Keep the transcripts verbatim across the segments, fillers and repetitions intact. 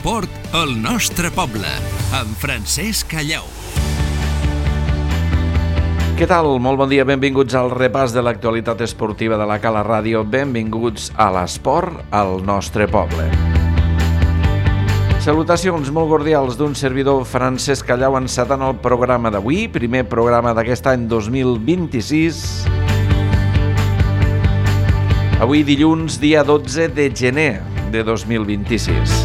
l'esport al nostre poble, amb Francesc Callau. Què tal? Molt bon dia, benvinguts al repàs de l'actualitat esportiva de la Cala Ràdio. Benvinguts a l'esport al nostre poble. Salutacions molt cordials d'un servidor, Francesc Callau, encetant el programa d'avui, primer programa d'aquest any dos mil vint-i-sis. Avui dilluns, dia dotze de gener de dos mil vint-i-sis.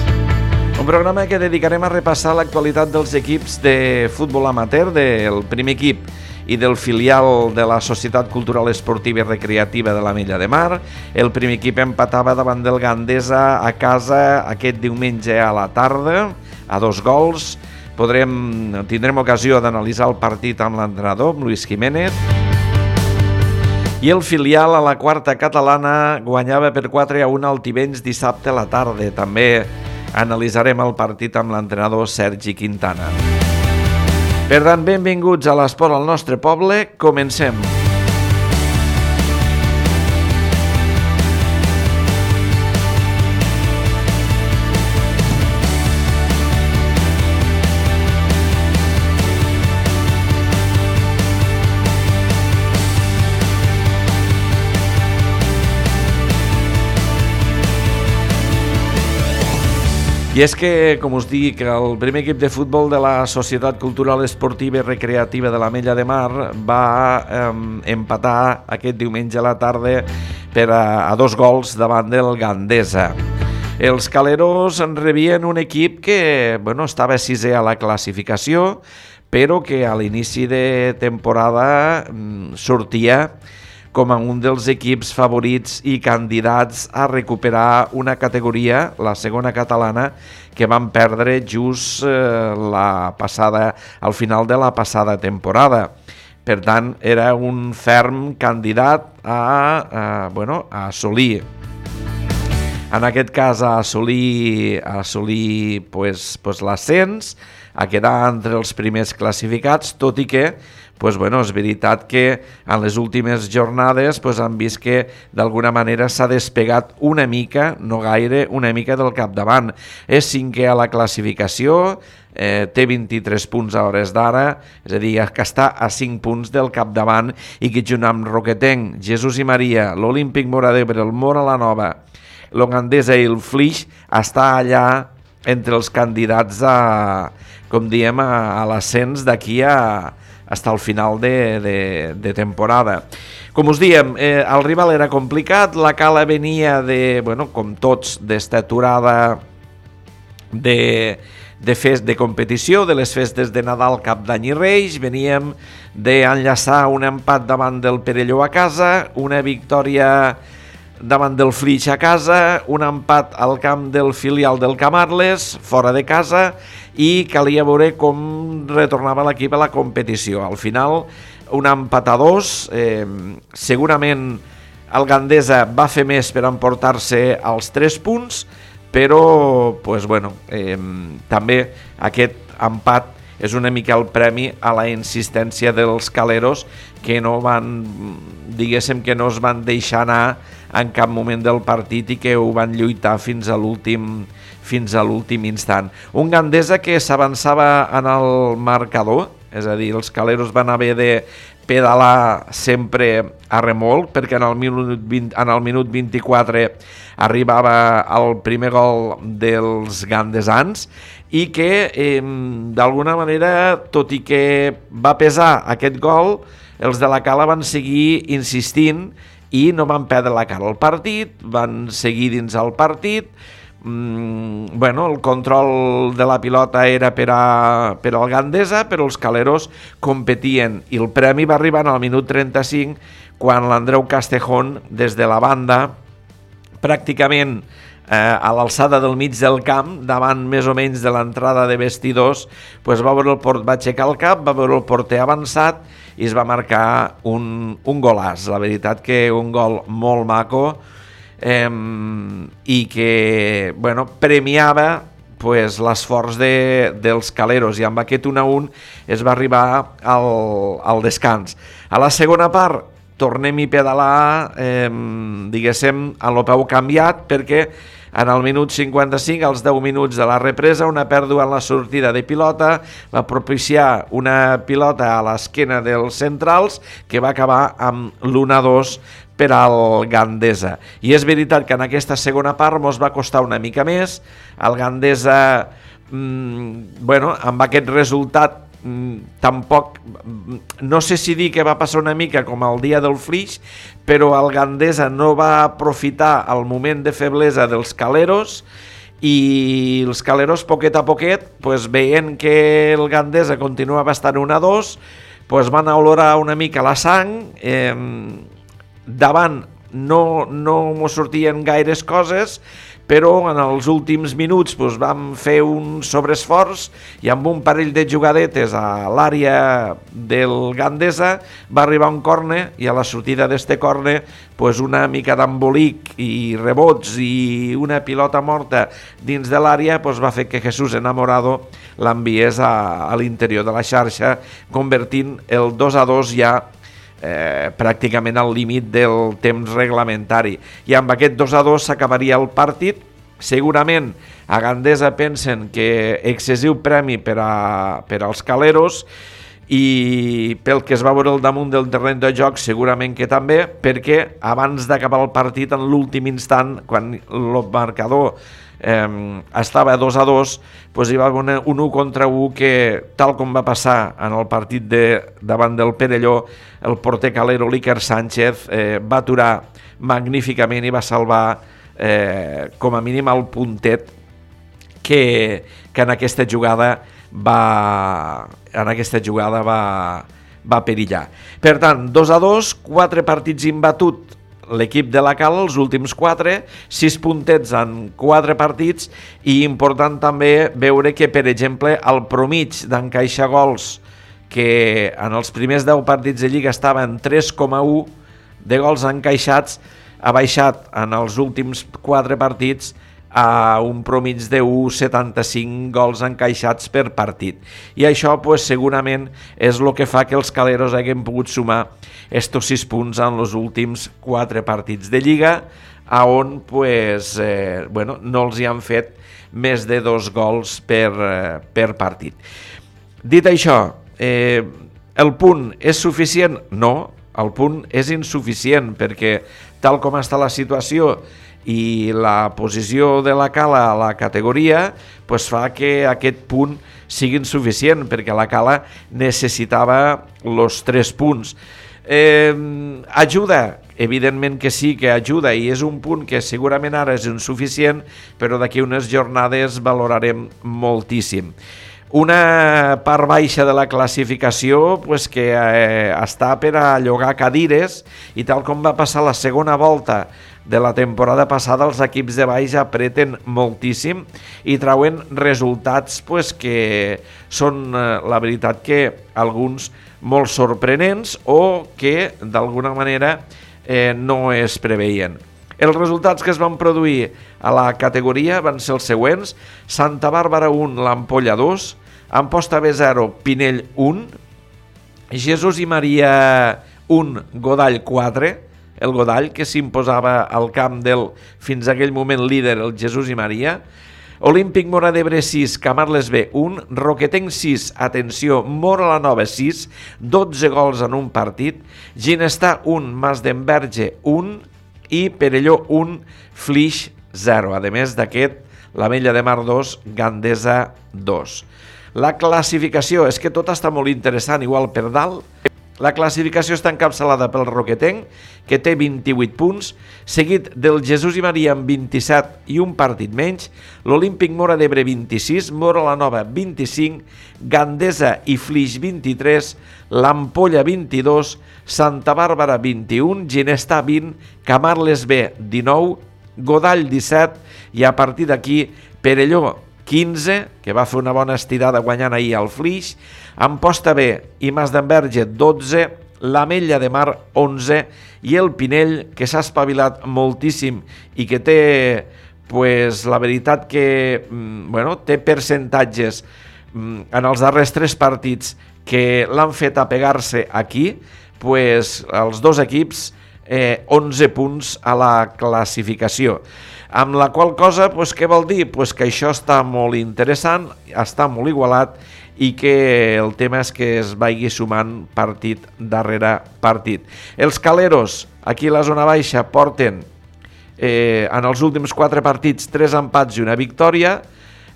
Un programa que dedicarem a repassar l'actualitat dels equips de futbol amateur, del primer equip i del filial de la Societat Cultural Esportiva i Recreativa de l'Ametlla de Mar. El primer equip empatava davant del Gandesa a casa aquest diumenge a la tarda, a dos gols. Podrem, tindrem ocasió d'analitzar el partit amb l'entrenador, amb Luis Jiménez. I el filial a la quarta catalana guanyava per quatre a un al Tivenys dissabte a la tarda. També analitzarem el partit amb l'entrenador Sergi Quintana. Per tant, benvinguts a l'esport al nostre poble. Comencem. I és que, com us dic, el primer equip de futbol de la Societat Cultural Esportiva i Recreativa de l'Ametlla de Mar va eh, empatar aquest diumenge a la tarda per a, a dos gols davant del Gandesa. Els caleros en rebien un equip que bueno, estava sisè a la classificació, però que a l'inici de temporada mm, sortia com a un dels equips favorits i candidats a recuperar una categoria, la segona catalana, que van perdre just eh, la passada, al final de la passada temporada. Per tant, era un ferm candidat a, a, bueno, a assolir, en aquest cas a assolir, a assolir pues, pues, l'ascens, a quedar entre els primers classificats, tot i que pues bueno, és veritat que en les últimes jornades pues han vist que d'alguna manera s'ha despegat una mica, no gaire, una mica del capdavant. És cinquè a la classificació, eh, té vint-i-tres punts a hores d'ara, és a dir, que està a cinc punts del capdavant i que junt amb Roquetenc, Jesús i Maria, l'Olímpic Móra d'Ebre, el Móra la Nova, l'Ogandesa i el Flix està allà entre els candidats a, com diem, a, a l'ascens d'aquí a fins al final de, de, de temporada. Com us diem, eh, el rival era complicat, la Cala venia de, bueno, com tots, d'esta aturada de, de fest de competició, de les festes de Nadal, Cap d'Any i Reis. Veníem d'enllaçar un empat davant del Perelló a casa, una victòria davant del Flix a casa, un empat al camp del filial del Camarles, fora de casa, i calia veure com retornava l'equip a la competició. Al final, un empat a dos, eh, segurament el Gandesa va fer més per emportar-se els tres punts, però pues, bueno, eh, també aquest empat és una mica el premi a la insistència dels caleros, que no van, diguéssim que no es van deixar anar en cap moment del partit i que ho van lluitar fins a l'últim fins a l'últim instant. Un Gandesa que s'avançava en el marcador, és a dir, els caleros van haver de pedalar sempre a remolc, perquè en el minut, vint, en el minut vint-i-quatre arribava el primer gol dels gandesans i que eh, d'alguna manera, tot i que va pesar aquest gol, els de la Cala van seguir insistint i no van perdre la cara al partit, van seguir dins el partit. Mm, bueno, el control de la pilota era per, a, per al Gandesa, però els caleros competien i el premi va arribar al minut trenta-cinc quan l'Andreu Castejón des de la banda, pràcticament eh, a l'alçada del mig del camp, davant més o menys de l'entrada de vestidors, pues va, veure el port, va aixecar el cap, va veure el porter avançat i es va marcar un, un golàs. La veritat que un gol molt maco, eh, i que bueno, premiava pues, l'esforç de, dels caleros, i amb aquest un a un es va arribar al, al descans. A la segona part tornem-hi a pedalar, eh, diguéssim, a lo peu canviat, perquè En el minut cinquanta-cinc, als deu minuts de la represa, una pèrdua en la sortida de pilota va propiciar una pilota a l'esquena dels centrals que va acabar amb l'u a dos per al Gandesa. I és veritat que en aquesta segona part mos va costar una mica més. El Gandesa, mmm, bueno, amb aquest resultat tampoc, no sé si dir que va passar una mica com el dia del Flix, però el Gandesa no va aprofitar el moment de feblesa dels Caleros i els Caleros poquet a poquet, pues, veient que el Gandesa continuava estant un a dos, pues, van olorar una mica la sang, eh, davant no, no mos sortien gaires coses, però en els últims minuts doncs, vam fer un sobreesforç i amb un parell de jugadetes a l'àrea del Gandesa va arribar un córner i a la sortida d'este córner doncs, una mica d'embolic i rebots i una pilota morta dins de l'àrea doncs, va fer que Jesús Enamorado l'enviés a, a l'interior de la xarxa, convertint el dos a dos ja Eh, pràcticament al límit del temps reglamentari, i amb aquest dos a dos s'acabaria el partit. Segurament a Gandesa pensen que excessiu premi per, a, per als Caleros, i pel que es va veure al damunt del terreny de joc segurament que també, perquè abans d'acabar el partit, en l'últim instant, quan el marcador eh, estava a dos a dos, pues hi va haver un u contra u que, tal com va passar en el partit de, davant del Perelló, el porter calero l'Iker Sánchez eh, va aturar magníficament i va salvar eh, com a mínim el puntet que, que en aquesta jugada va en aquesta jugada va, va perillar. Per tant, dos a dos, quatre partits imbatut l'equip de la Cala, els últims quatre, sis puntets en quatre partits, i important també veure que, per exemple, el promig d'encaixar gols, que en els primers deu partits de Lliga estava en tres coma u de gols encaixats, ha baixat en els últims quatre partits a un promig de un coma setanta-cinc gols encaixats per partit. I això pues, segurament és el que fa que els caleros hagin pogut sumar estos sis punts en els últims quatre partits de Lliga, a on pues, eh, bueno, no els hi han fet més de dos gols per, eh, per partit. Dit això, eh, el punt és suficient? No, el punt és insuficient, perquè tal com està la situació i la posició de la Cala a la categoria pues fa que aquest punt sigui insuficient, perquè la Cala necessitava els tres punts. Eh, ajuda? Evidentment que sí que ajuda, i és un punt que segurament ara és insuficient, però d'aquí unes jornades valorarem moltíssim. Una part baixa de la classificació pues, que eh, està per a llogar cadires, i tal com va passar la segona volta de la temporada passada, els equips de baix apreten moltíssim i trauen resultats pues, que són, eh, la veritat, que alguns molt sorprenents o que d'alguna manera eh, no es preveien. Els resultats que es van produir a la categoria van ser els següents: Santa Bàrbara un, l'Ampolla dos, Amposta B zero, Pinell un, Jesús i Maria un, Godall quatre, el Godall que s'imposava al camp del fins a aquell moment líder, el Jesús i Maria, Olímpic Móra d'Ebre sis, Camarles B un, Roquetenc sis, atenció, Móra la Nova sis, dotze gols en un partit, Ginestar un, Mas d'Enverge un, i Perelló un, Flix zero. A més d'aquest, l'Ametlla de Mar dos, Gandesa dos. La classificació, és que tot està molt interessant, igual per dalt. La classificació està encapçalada pel Roquetenc, que té vint-i-vuit punts, seguit del Jesús i Maria amb vint-i-set i un partit menys, l'Olímpic Móra d'Ebre vint-i-sis, Móra la Nova vint-i-cinc, Gandesa i Flix vint-i-tres, l'Ampolla vint-i-dos, Santa Bàrbara vint-i-un, Ginestar vint, Camarles B dinou, Godall disset, i a partir d'aquí Perelló quinze, que va fer una bona estirada guanyant ahir al Flix, Amposta B i Mas d'Enverge dotze, l'Ametlla de Mar onze, i el Pinell, que s'ha espavilat moltíssim i que té, pues, la veritat que bueno, té percentatges en els darrers tres partits que l'han fet apegar-se aquí, pues, els dos equips eh, onze punts a la classificació. Amb la qual cosa, pues, què vol dir? Pues que això està molt interessant, està molt igualat i que el tema és que es vagi sumant partit darrere partit. Els caleros, aquí a la zona baixa, porten eh, en els últims quatre partits tres empats i una victòria.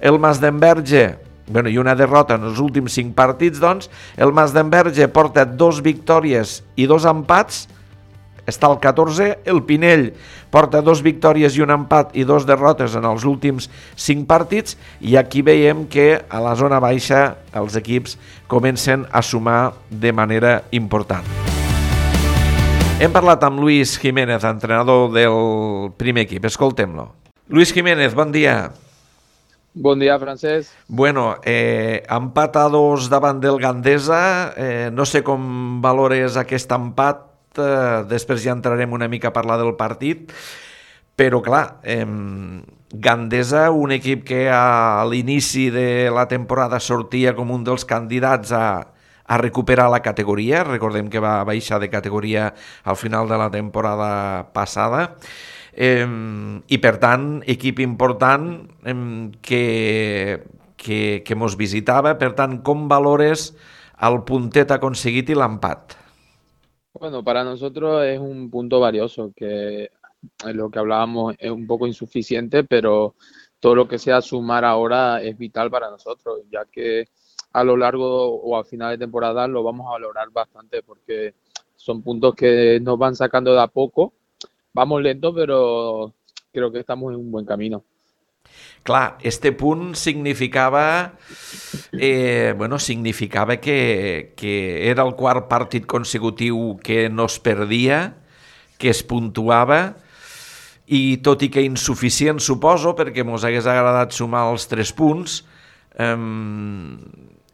El Masdenverge, bueno, i una derrota en els últims cinc partits, doncs, el Masdenverge porta dos victòries i dos empats, està al catorze, el Pinell porta dos victòries i un empat i dos derrotes en els últims cinc partits, i aquí veiem que a la zona baixa els equips comencen a sumar de manera important. Hem parlat amb Luis Jiménez, entrenador del primer equip. Escoltem-lo. Luis Jiménez, bon dia. Bon dia, Francesc. Bueno, eh, empat a dos davant del Gandesa. Eh, no sé com valores aquest empat. Eh, després ja entrarem una mica a parlar del partit, però clar, eh, Gandesa, un equip que a l'inici de la temporada sortia com un dels candidats a, a recuperar la categoria. Recordem que va baixar de categoria al final de la temporada passada, eh, i per tant equip important eh, que, que, que mos visitava. Per tant, com valores el puntet aconseguit i l'empat? Bueno, para nosotros es un punto valioso, que lo que hablábamos es un poco insuficiente, pero todo lo que sea sumar ahora es vital para nosotros, ya que a lo largo o a final de temporada lo vamos a valorar bastante, porque son puntos que nos van sacando de a poco. Vamos lento, pero creo que estamos en un buen camino. Clar, este punt significava eh, bueno, significava que, que era el quart partit consecutiu que no es perdia, que es puntuava, i tot i que insuficient, suposo, perquè mos hagués agradat sumar els tres punts, eh,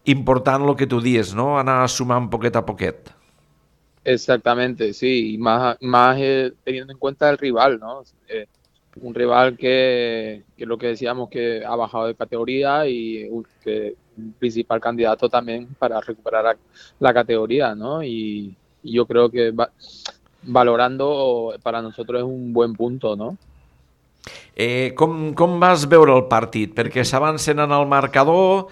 important el que tu dies, ¿no? Anar sumant poquet a poquet. Exactamente, sí, y más, más eh, teniendo en cuenta el rival, ¿no? Eh, un rival que, que lo que decíamos, que ha bajado de categoría y un, que un principal candidato también para recuperar la categoría, ¿no? Y, y yo creo que va, valorando para nosotros es un buen punto, ¿no? Eh, com, com vas veure el partit? Perquè s'avancen en el marcador,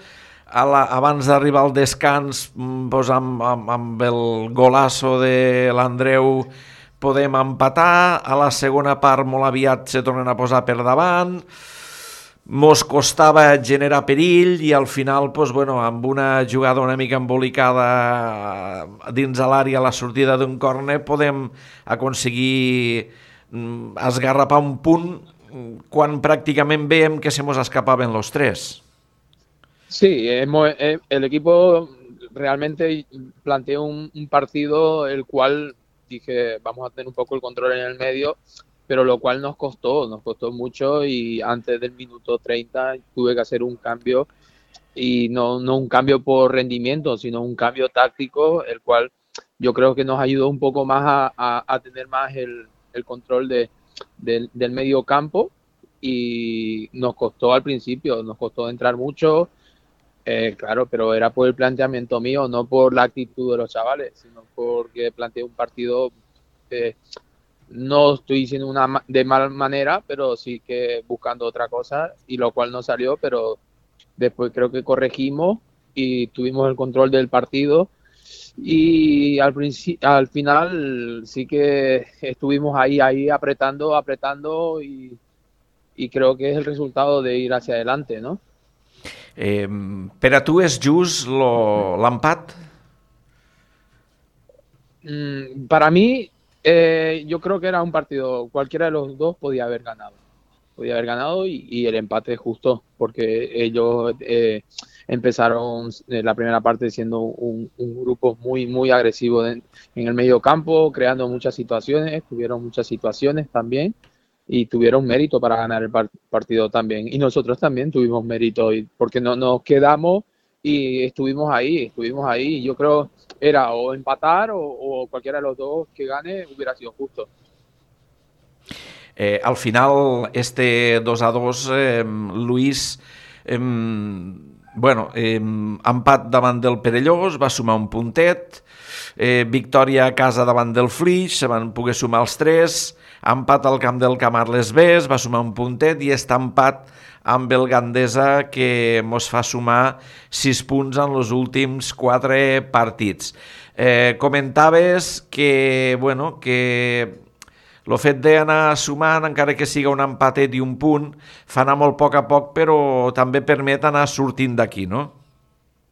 a la, abans d'arribar al descans, doncs amb, amb, amb el golasso de l'Andreu podem empatar, a la segona part molt aviat se tornen a posar per davant, mos costava generar perill i al final, doncs, bueno, amb una jugada una mica embolicada dins de l'àrea a la sortida d'un córner podem aconseguir esgarrapar un punt quan pràcticament veiem que se mos escapaven los tres. Sí, hemos, el equipo realmente planteó un, un partido el cual dije, vamos a tener un poco el control en el medio, pero lo cual nos costó, nos costó mucho, y antes del minuto treinta tuve que hacer un cambio, y no, no un cambio por rendimiento, sino un cambio táctico, el cual yo creo que nos ayudó un poco más a, a, a tener más el, el control de, de, del medio campo, y nos costó al principio, nos costó entrar mucho. Eh, claro, pero era por el planteamiento mío, no por la actitud de los chavales, sino porque planteé un partido, eh, no estoy diciendo una de mala manera, pero sí que buscando otra cosa, y lo cual no salió, pero después creo que corregimos y tuvimos el control del partido, y al, al final sí que estuvimos ahí, ahí apretando, apretando, y, y creo que es el resultado de ir hacia adelante, ¿no? Eh, per a tu és just l'empat? Mm, para mí, eh, yo creo que era un partido, cualquiera de los dos podía haber ganado. Podía haber ganado y, y el empate es justo, porque ellos eh, empezaron la primera parte siendo un, un grupo muy, muy agresivo en, en el medio campo, creando muchas situaciones, tuvieron muchas situaciones también, y tuvieron mérito para ganar el partido también, y nosotros también tuvimos mérito, porque no nos quedamos y estuvimos ahí, estuvimos ahí, yo creo era o empatar o, o cualquiera de los dos que gane hubiera sido justo. Eh, al final este dos a dos, eh, Luis, eh, bueno, eh, empat davant del Perellós, va sumar un puntet. eh, victòria a casa davant del Flix, se van poder sumar els tres, empat al camp del Camarles B, es va sumar un puntet i està empat amb el Gandesa, que mos fa sumar sis punts en els últims quatre partits. Eh, comentaves que, bueno, que el fet d'anar sumant, encara que siga un empatet i un punt, fa anar molt a poc a poc, però també permet anar sortint d'aquí, ¿no?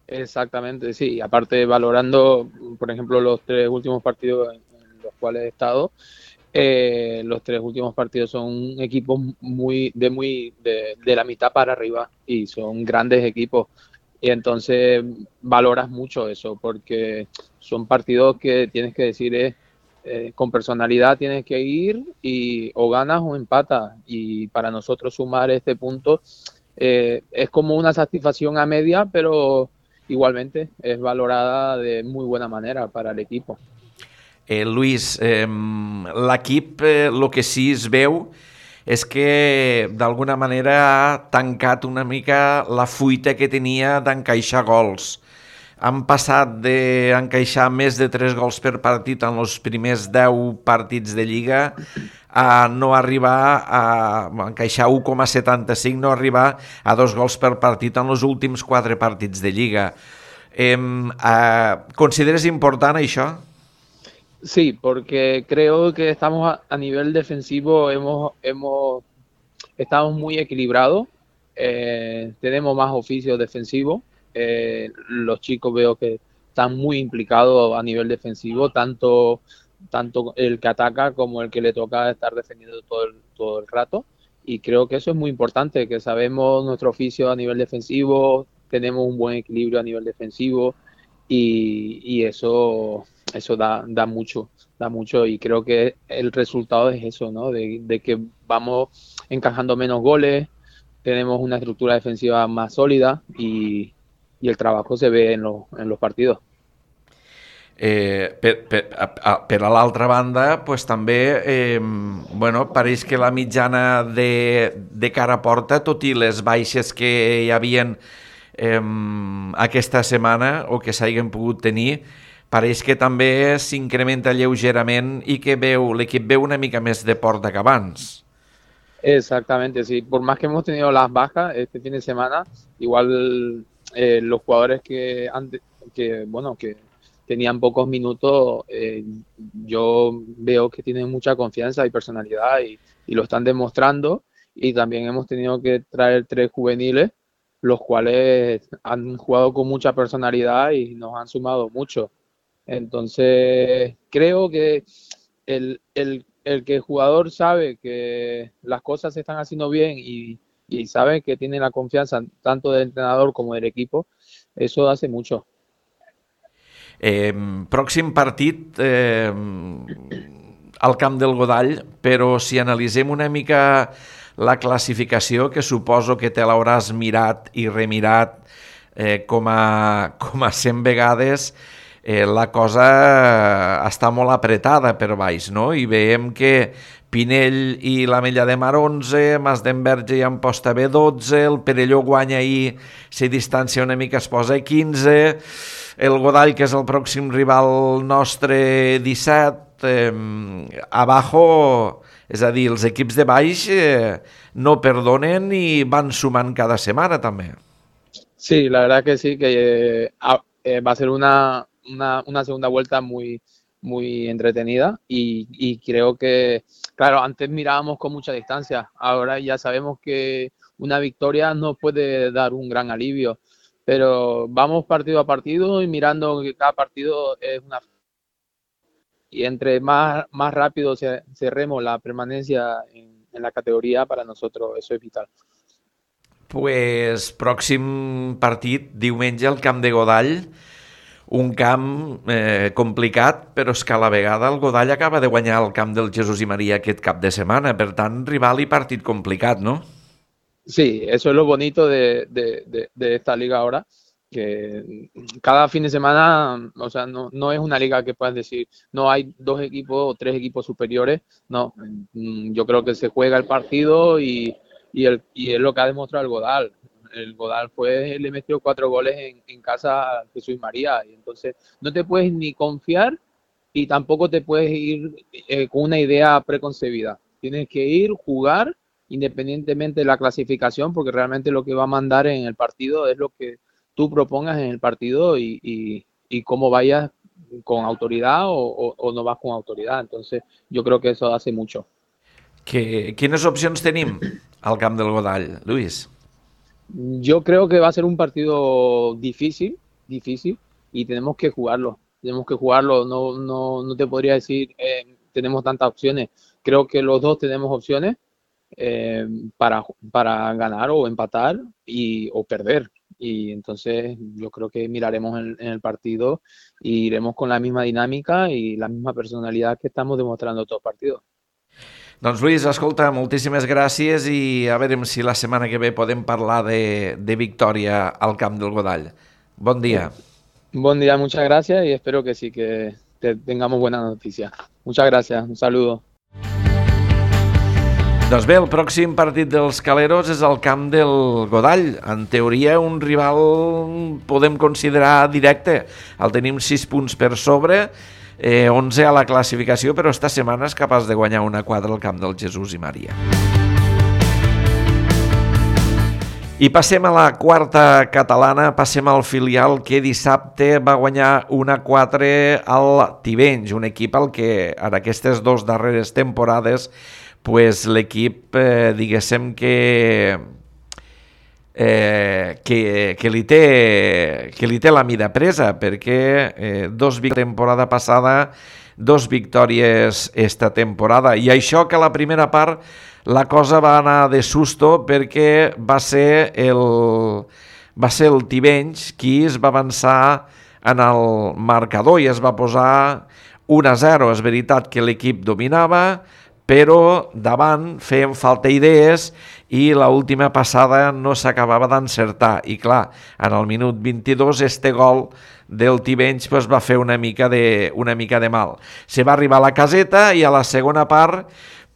Exactamente, sí. Aparte, valorando, por ejemplo, los tres últimos partidos en los cuales he estado, Eh, los tres últimos partidos son equipos muy de muy de, de la mitad para arriba y son grandes equipos y entonces valoras mucho eso porque son partidos que tienes que decir es, eh, con personalidad tienes que ir y o ganas o empatas y para nosotros sumar este punto eh, es como una satisfacción a media pero igualmente es valorada de muy buena manera para el equipo. Eh, Luis, eh, l'equip eh, el que sí es veu és que d'alguna manera ha tancat una mica la fuita que tenia d'encaixar gols. Han passat d'encaixar més de tres gols per partit en els primers deu partits de Lliga a no arribar a encaixar u coma setanta-cinc, no arribar a dos gols per partit en els últims quatre partits de Lliga. Eh, eh, consideres important això? Sí, porque creo que estamos a, a nivel defensivo, hemos, hemos estamos muy equilibrados, eh, tenemos más oficios defensivos, eh, los chicos veo que están muy implicados a nivel defensivo, tanto, tanto el que ataca como el que le toca estar defendiendo todo el, todo el rato, y creo que eso es muy importante, que sabemos nuestro oficio a nivel defensivo, tenemos un buen equilibrio a nivel defensivo, y, y eso... eso da, da mucho, da mucho y creo que el resultado es eso, ¿no? De, de que vamos encajando menos goles, tenemos una estructura defensiva más sólida y, y el trabajo se ve en, lo, en los partidos. Eh, per, per, a, per a l'altra banda, pues, també eh, bueno, pareix que la mitjana de, de cara a porta, tot i les baixes que hi havien eh, aquesta setmana o que s'hagin pogut tenir, pareix que també s'incrementa lleugerament i que veu l'equip veu una mica més de porta que abans. Exactamente, sí. Por más que hemos tenido las bajas este fin de semana, igual eh, los jugadores que, antes, que, bueno, que tenían pocos minutos, eh, yo veo que tienen mucha confianza y personalidad y, y lo están demostrando. Y también hemos tenido que traer tres juveniles, los cuales han jugado con mucha personalidad y nos han sumado mucho. Entonces, creo que el, el, el que el jugador sabe que las cosas se están haciendo bien y, y sabe que tiene la confianza tanto del entrenador como del equipo, eso hace mucho. Eh, pròxim partit eh, al camp del Godall, però si analitzem una mica la classificació, que suposo que te l'hauràs mirat i remirat eh, com a, com a cent vegades, Eh, la cosa està molt apretada per baix, no? I veiem que Pinell i l'Ametlla de Mar onze, Mas d'Enverge i Amposta B dotze, el Perelló guanya i se distancia una mica, es posa a quinze, el Godall, que és el pròxim rival nostre, disset, eh, abajo, és a dir, els equips de baix eh, no perdonen i van sumant cada setmana també. Sí, la verdad que sí, que eh, eh, va a ser una Una, una segunda vuelta muy, muy entretenida y, y creo que, claro, antes mirábamos con mucha distancia, ahora ya sabemos que una victoria nos puede dar un gran alivio, pero vamos partido a partido y mirando que cada partido es una... Y entre más, más rápido cerremos la permanencia en, en la categoría, para nosotros eso es vital. Pues pròxim partit, diumenge, al camp de Godall, un camp eh, complicat, però és que a la vegada el Godall acaba de guanyar el camp del Jesús i Maria aquest cap de setmana, per tant, rival i partit complicat, ¿no? Sí, eso es lo bonito de, de, de, de esta liga ahora, que cada fin de semana, o sea, no, no es una liga que puedas decir, no hay dos equipos o tres equipos superiores, no, yo creo que se juega el partido y, y, el, y es lo que ha demostrado el Godall. el Godal fue, le metió cuatro goles en, en casa a Jesús María, y entonces no te puedes ni confiar y tampoco te puedes ir eh, con una idea preconcebida. Tienes que ir, jugar, independientemente de la clasificación, porque realmente lo que va a mandar en el partido es lo que tú propongas en el partido y, y, y cómo vayas con autoridad o, o, o no vas con autoridad. Entonces yo creo que eso hace mucho. Que, quines opcions tenim al camp del Godall, Luis? Yo creo que va a ser un partido difícil, difícil, y tenemos que jugarlo. Tenemos que jugarlo. No, no, no te podría decir eh, tenemos tantas opciones. Creo que los dos tenemos opciones eh, para, para ganar o empatar y, o perder. Y entonces yo creo que miraremos en, en el partido y iremos con la misma dinámica y la misma personalidad que estamos demostrando todos los partidos. Doncs Luis, escolta, moltíssimes gràcies i a veure si la setmana que ve podem parlar de, de victòria al camp del Godall. Bon dia. Bon dia, muchas gracias y espero que sí, que te tengamos buenas noticias. Muchas gracias, un saludo. Doncs bé, el pròxim partit dels Caleros és al camp del Godall. En teoria, un rival podem considerar directe. El tenim sis punts per sobre, eh, onze a la classificació, però esta setmana és capaç de guanyar una quadra al camp del Jesús i Maria. I passem a la quarta catalana, passem al filial que dissabte va guanyar una quatre al Tivenys, un equip al que en aquestes dues darreres temporades pues l'equip, eh, diguéssim que, eh, que, que, li té, que li té la mida presa, perquè eh, dos victòries temporada passada, dos victòries esta temporada, i això que a la primera part la cosa va anar de susto perquè va ser el, va ser el Tivenys qui es va avançar en el marcador i es va posar un a zero. És veritat que l'equip dominava, però davant feien falta idees i l'última passada no s'acabava d'encertar. I clar, en el minut vint-i-dos este gol del Tivenys pues, va fer una mica de, una mica de mal. Se va arribar a la caseta i a la segona part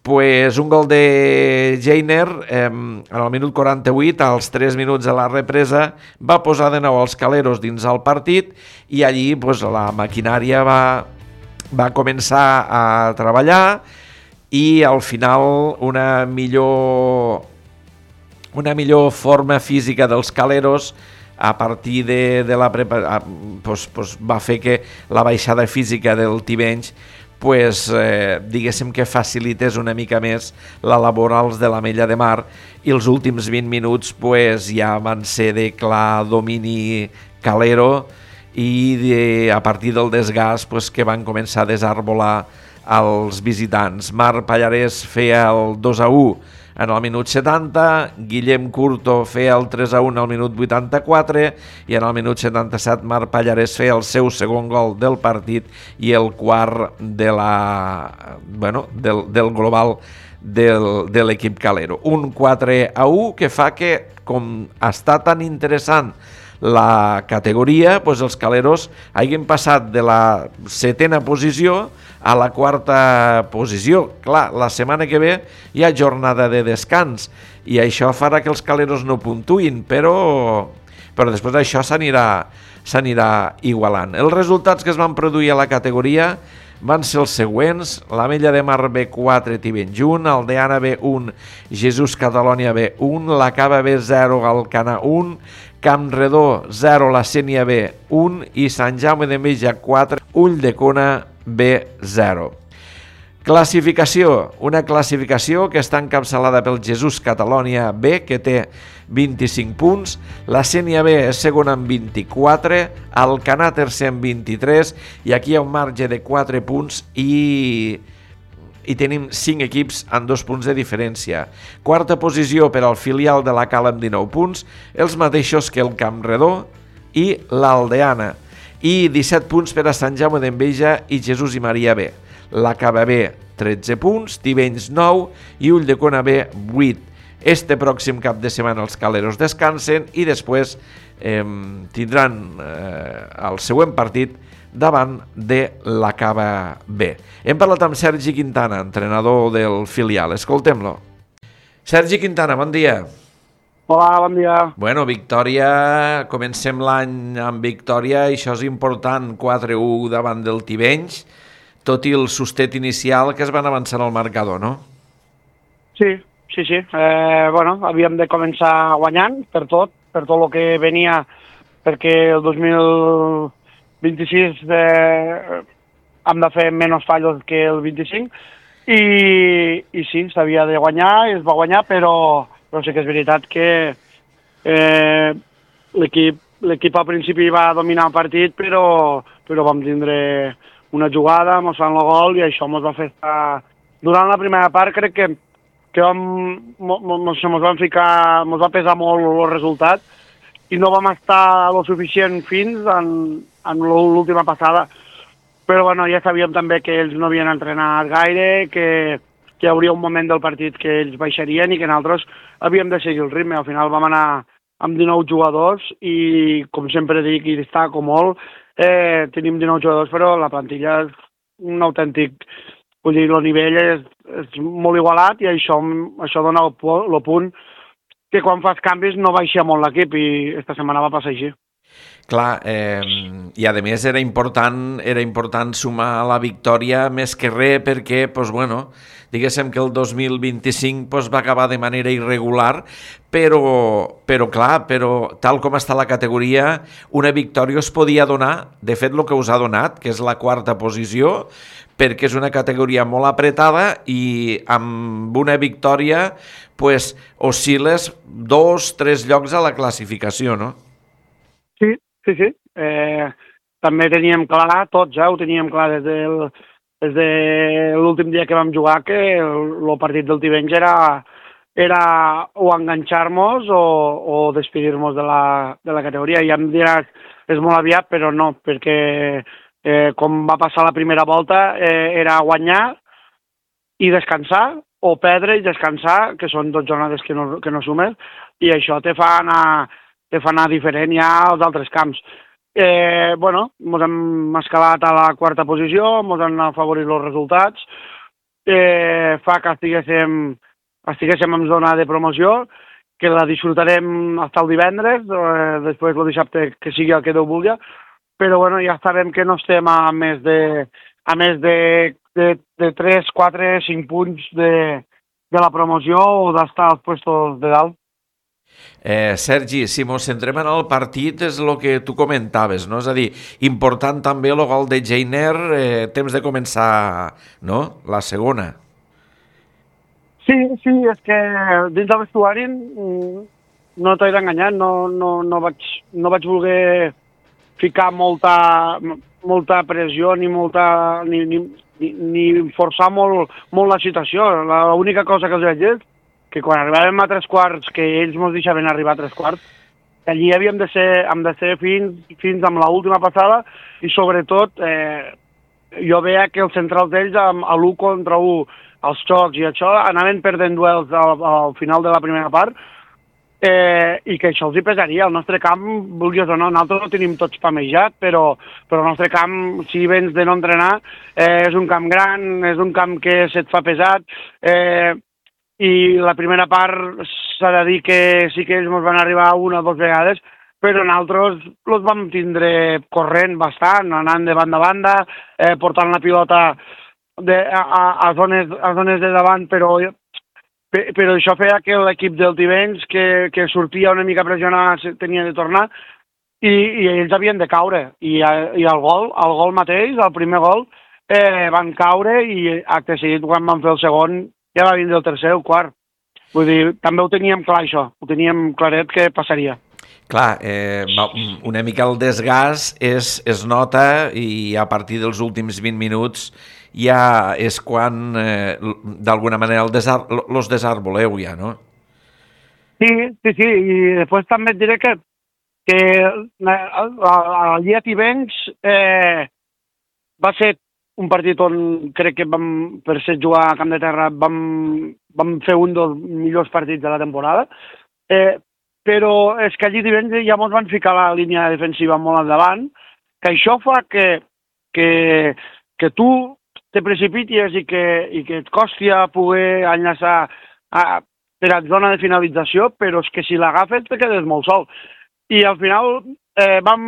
pues, un gol de Jainer eh, en el minut quaranta-vuit, als tres minuts de la represa, va posar de nou els Caleros dins el partit i allí pues, la maquinària va, va començar a treballar i al final una millor una millor forma física dels Caleros a partir de, de la prepa, pues, pues va fer que la baixada física del Tivenys pues, eh, diguéssim que facilités una mica més la labor als de l'Ametlla de Mar i els últims vint minuts pues, ja van ser de clar domini calero i de, a partir del desgast pues, que van començar a desarbolar als visitants. Marc Pallarès feia el dos a u en el minut setanta, Guillem Curto feia el tres a u al minut vuitanta-quatre i en el minut setanta-set Marc Pallarès feia el seu segon gol del partit i el quart de la, bueno, del, del global del, de l'equip calero. Un quatre a u que fa que, com està tan interessant la categoria, doncs els Caleros hagin passat de la setena posició a la quarta posició. Clar, la setmana que ve hi ha jornada de descans i això farà que els Caleros no puntuïn, però, però després d'això s'anirà s'anirà igualant. Els resultats que es van produir a la categoria van ser els següents: l'Ametlla de Mar B quatre, Tivenys un, Aldeana B un, Jesús Catalònia B un, la Cava B zero, Alcanar un, Campredó zero, la Sénia B un i Sant Jaume d'Enveja quatre, Ulldecona B zero. Classificació, una classificació que està encapçalada pel Jesús Catalònia B, que té vint-i-cinc punts, la Sénia B és segona amb vint-i-quatre, Alcanar tercer amb vint-i-tres, i aquí hi ha un marge de quatre punts i... i tenim cinc equips amb dos punts de diferència. Quarta posició per al filial de la Cala amb dinou punts, els mateixos que el Campredó i l'Aldeana, i disset punts per a Sant Jaume d'Enveja i Jesús i Maria B. La Cava B, tretze punts, Tivenys nou i Ulldecona B, vuit. Este pròxim cap de setmana els Caleros descansen i després eh, tindran eh, el següent partit davant de la Cava B. Hem parlat amb Sergi Quintana, entrenador del filial. Escoltem-lo. Sergi Quintana, bon dia. Hola, bon dia. Bueno, victòria, comencem l'any amb victòria, i això és important, quatre a u davant del Tivenys, tot i el sustet inicial que es van avançar al marcador, no? Sí, sí, sí. Eh, bueno, havíem de començar guanyant per tot, per tot el que venia, perquè el dos mil vint-i-sis eh, hem de fer menys fallos que el vint-i-cinc, i, i sí, s'havia de guanyar, i es va guanyar, però, però sí que és veritat que eh, l'equip l'equip al principi va dominar el partit, però, però vam tindre una jugada, mos fan el gol, i això mos va fer estar... Durant la primera part crec que que vam, mos, mos, mos van ficar, mos va pesar molt el resultat, i no vam estar lo suficient fins en, en l'última passada. Però bueno, ja sabíem també que ells no havien entrenat gaire, que, que hi hauria un moment del partit que ells baixarien i que nosaltres havíem de seguir el ritme. Al final vam anar amb dinou jugadors i, com sempre dic i destaco molt, eh, tenim dinou jugadors, però la plantilla és un autèntic... Vull dir, el nivell és, és molt igualat, i això, això dona el, el punt que quan fas canvis no baixa molt l'equip, i esta setmana va passar així. Clar, eh, i a més era important, era important sumar la victòria més que res perquè, pues, bueno, diguéssim que el dos mil vint-i-cinc pues, va acabar de manera irregular, però, però clar, però tal com està la categoria, una victòria us podia donar, de fet el que us ha donat, que és la quarta posició, perquè és una categoria molt apretada, i amb una victòria pues, oscil·les dos, tres llocs a la classificació, no? Sí, sí, sí. Eh, també teníem clar, tots, eh, ho teníem clar des, del, des de l'últim dia que vam jugar, que el, el partit del Tivenys era, era o enganxar-nos o, o despedir-nos de la, de la categoria. I em diràs, és molt aviat, però no, perquè eh, com va passar la primera volta, eh, era guanyar i descansar, o perdre i descansar, que són dues jornades que no, que no sumes, i això te fa anar... que fa anar diferent ja als altres camps. Eh, bueno, ens hem escalat a la quarta posició, ens han afavorit els resultats, eh, fa que estiguéssim, estiguéssim en zona de promoció, que la disfrutarem fins el divendres, eh, després el dissabte que sigui el que Déu vulgui, però bueno, ja sabem que no estem a més de, a més de, de, de tres, quatre, cinc punts de, de la promoció o d'estar als puestos de dalt. Eh, Sergi, si mos centrem en el partit és el que tu comentaves, no? És a dir, important també el gol de Jainer, eh, temps de començar, no?, la segona. Sí, sí, és que dins del vestuari no t'he d'enganyar, no, no, no, vaig, no vaig voler ficar molta, molta pressió ni molta ni, ni, ni forçar molt, molt la situació. L'única cosa que els vaig dir és que quan arribàvem a tres quarts, que ells ens deixaven arribar a tres quarts, que allí havíem de ser, hem de ser fins, fins amb l'última passada, i sobretot eh, jo veia que els centrals d'ells, a l'u contra u, els xocs i això, anaven perdent duels al, al final de la primera part, eh, i que això els hi pesaria. El nostre camp, vulguis o no, nosaltres no tenim tots pamejat, però, però el nostre camp, si vens de no entrenar, eh, és un camp gran, és un camp que se't fa pesat, eh, i la primera part s'ha de dir que sí que ells ens van arribar una o dues vegades, però nosaltres els vam tindre corrent bastant, anant de banda a banda, eh, portant la pilota de, a, a, zones, a zones de davant, però, però això feia que l'equip del Tivenys, que, que sortia una mica pressionat, tenia de tornar, i, i ells havien de caure. I, i el gol, el gol mateix, el primer gol, eh, van caure, i acte seguit, quan van fer el segon, ja va vindre el tercer o quart. Vull dir, també ho teníem clar, això. Ho teníem claret que passaria. Clar, eh, una mica el desgast es, es nota, i a partir dels últims vint minuts ja és quan, eh, d'alguna manera, el desar, los desarboleu ja, no? Sí, sí, sí. I després també et diré que, que allí a Tivenys eh, va ser un partit on crec que vam, per ser jugar a camp de terra, vam, vam fer un dels millors partits de la temporada, eh, però és que allí divendres ja ens van ficar la línia defensiva molt endavant, que això fa que, que, que tu te precipitis i que, i que et costi a poder enllaçar, a, per a zona de finalització, però és que si l'agafes te quedes molt sol. I al final eh, vam,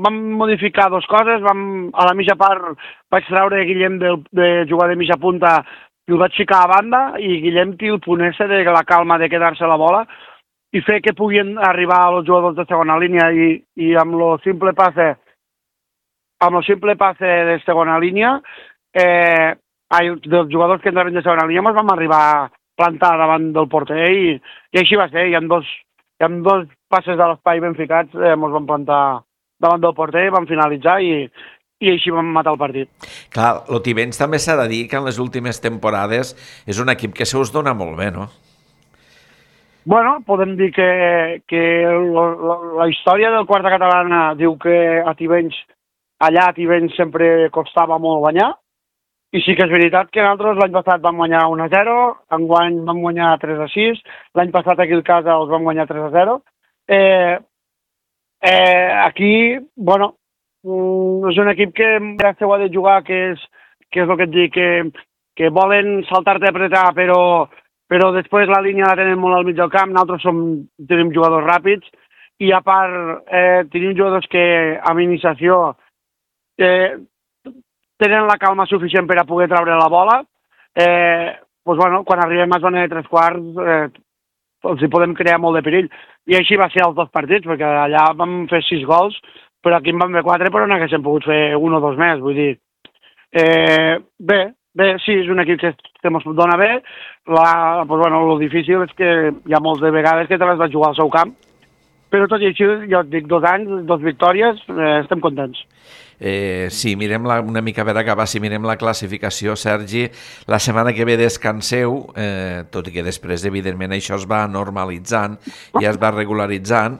vam modificar dues coses, vam, a la mitja part vaig treure Guillem de, de jugar de mitja punta i el vaig ficar a banda, i Guillem té el punt ese de la calma de quedar-se la bola i fer que puguin arribar els jugadors de segona línia, i, i amb el simple passe amb el simple passe de segona línia eh, dels jugadors que entraven de segona línia ens vam arribar a plantar davant del porter, i, i així va ser, i amb dos, i amb dos passes de l'espai ben ficats eh, ens vam plantar davant del porter, vam finalitzar i, i així vam matar el partit. Clar, el Tivenys també s'ha de dir que en les últimes temporades és un equip que se us dona molt bé, no? Bueno, podem dir que, que la, la, la història del quarta catalana diu que a Tivenys, allà a Tivenys sempre costava molt guanyar, i sí que és veritat que nosaltres l'any passat vam guanyar un a zero, enguany vam guanyar tres a sis, l'any passat aquí al casa els vam guanyar tres a zero. Eh, eh, aquí, bueno, és un equip que ja s'ho ha de jugar, que és, que és el que et dic, que, que volen saltar-te a apretar, però, però després la línia la tenen molt al mig del camp, nosaltres som, tenim jugadors ràpids, i a part eh, tenim jugadors que amb iniciació eh, tenen la calma suficient per a poder treure la bola. Eh, doncs, bueno, quan arribem a zona de tres quarts eh, els hi podem crear molt de perill. I així va ser els dos partits, perquè allà vam fer sis gols, però aquí en vam fer quatre, però n'haguéssim pogut fer un o dos més. Vull dir, eh, bé, bé, sí, és un equip que, que ens dona bé. La, doncs, bueno, el difícil és que hi ha moltes vegades que te les vaig jugar al seu camp, però tot i així, jo et dic, dos anys, dos victòries, eh, estem contents. Eh, sí, mirem la, una mica per acabar, si mirem la classificació, Sergi, la setmana que ve descanseu, eh, tot i que després, evidentment, això es va normalitzant, ja es va regularitzant,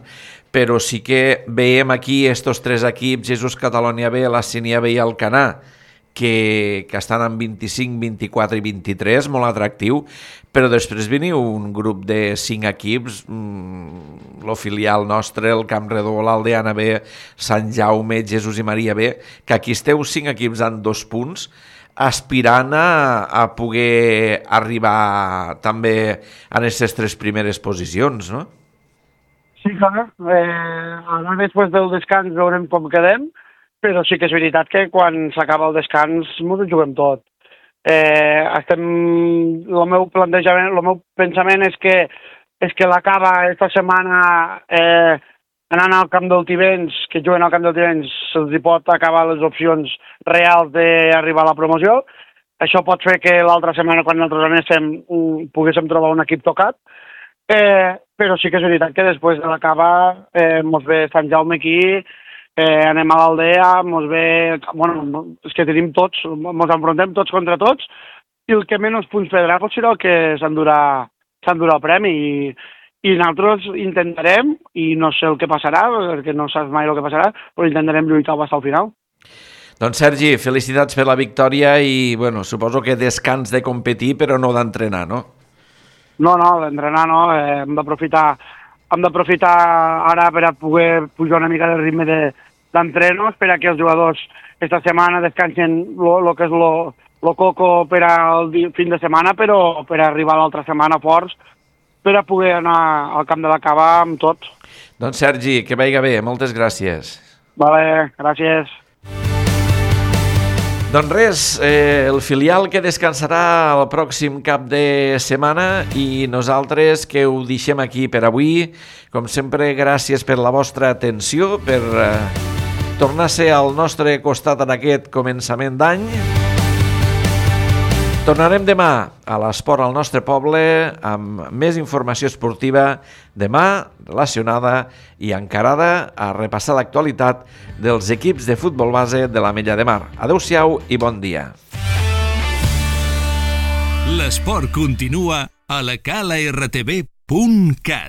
però sí que veiem aquí estos tres equips, Jesús Catalunya B, la Sínia B i el Canà, que, que estan en vint-i-cinc, vint-i-quatre i vint-i-tres, molt atractiu, però després veniu un grup de cinc equips, mmm, el filial nostre, el Camp Redó, l'Aldeana B, Sant Jaume, Jesús i Maria B, que aquí esteu cinc equips en dos punts, aspirant a, a poder arribar també a aquestes tres primeres posicions, no? Sí, clar. Eh, ara després del descans veurem com quedem, però sí que és veritat que quan s'acaba el descans ens ho juguem tot. Eh, estem, el meu plantejament, el meu pensament és que, és que l'acaba esta setmana eh, anant al camp del Tivenys, que juguen al camp del Tivenys, se'ls pot acabar les opcions reals d'arribar a la promoció. Això pot fer que l'altra setmana, quan nosaltres anéssim, poguéssim trobar un equip tocat. Eh, però sí que és veritat que després de l'acaba eh, mos ve Sant Jaume aquí, Eh, anem a l'Aldea, mos ve... Bueno, és que tenim tots, mos enfrontem tots contra tots, i el que menys punts perdrà pot ser el que s'endurà s'endurà el premi, i, i nosaltres intentarem, i no sé el que passarà, perquè no saps mai el que passarà, però intentarem lluitar fins al final. Doncs Sergi, felicitats per la victòria i, bueno, suposo que descans de competir, però no d'entrenar, no? No, no, d'entrenar no, eh, hem d'aprofitar hem d'aprofitar ara per a poder pujar una mica del ritme d'entrenos, per a que els jugadors esta setmana descansen el que és el coco per al fin de setmana, però per arribar l'altra setmana forts, per a poder anar al camp de la Cava amb tot. Doncs Sergi, que vagi bé, moltes gràcies. Vale, gràcies. Doncs res, eh, el filial que descansarà el pròxim cap de setmana i nosaltres que ho deixem aquí per avui. Com sempre, gràcies per la vostra atenció, per eh, tornar-se al nostre costat en aquest començament d'any. Tornarem demà a l'Esport al nostre poble amb més informació esportiva, demà relacionada i encarada a repassar l'actualitat dels equips de futbol base de l'Ametlla de Mar. Adéu-siau i bon dia. L'esport continua a la cala r t v punt cat.